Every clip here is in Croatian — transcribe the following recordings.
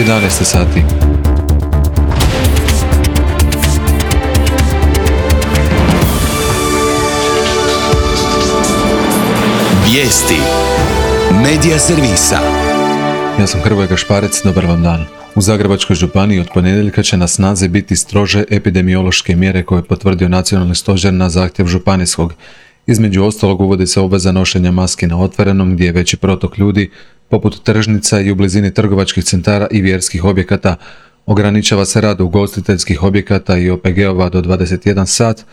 11 sati. Vijesti Medija servisa. Ja sam Hrvoje Gašparec, dobar vam dan. U Zagrebačkoj županiji od ponedjeljka će na snazi biti strože epidemiološke mjere koje je potvrdio nacionalni stožer na zahtjev županijskog. Između ostalog uvodi se obveza nošenja maski na otvorenom gdje je veći protok ljudi, poput tržnica i u blizini trgovačkih centara i vjerskih objekata. Ograničava se rad ugostiteljskih objekata i OPG-ova do 21 sat,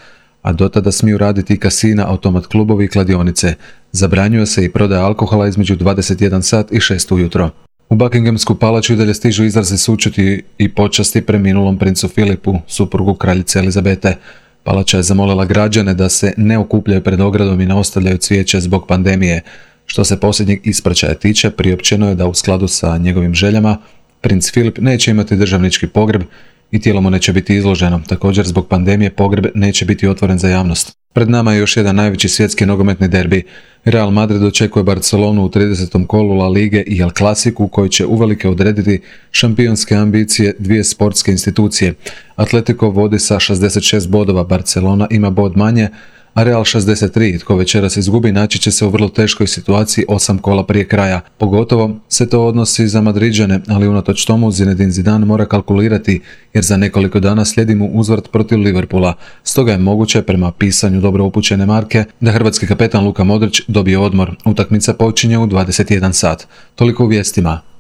a do tada smiju raditi i kasina, automat klubovi i kladionice. Zabranjuje se i prodaja alkohola između 21 sat i 6 ujutro. U Buckinghamsku palaču i dalje stižu izrazi sućuti i počasti preminulom princu Filipu, suprugu kraljice Elizabete. Palača je zamolila građane da se ne okupljaju pred ogradom i ne ostavljaju cvijeće zbog pandemije. Što se posljednjeg ispraćaja tiče, priopćeno je da u skladu sa njegovim željama princ Filip neće imati državnički pogreb i tijelo mu neće biti izloženo. Također, zbog pandemije pogreb neće biti otvoren za javnost. Pred nama je još jedan najveći svjetski nogometni derbi. Real Madrid očekuje Barcelonu u 30. kolu La Lige i El Clasicu koji će uvelike odrediti šampionske ambicije dvije sportske institucije. Atletico vodi sa 66 bodova, Barcelona ima bod manje, a Real 63. Tko večeras izgubi naći će se u vrlo teškoj situaciji 8 kola prije kraja. Pogotovo se to odnosi za Madriđane, ali unatoč tomu Zinedine Zidane mora kalkulirati jer za nekoliko dana slijedi mu uzvrat protiv Liverpoola. Stoga je moguće, prema pisanju dobro upućene Marke, da hrvatski kapetan Luka Modrić dobije odmor. Utakmica počinje u 21 sat. Toliko u vijestima.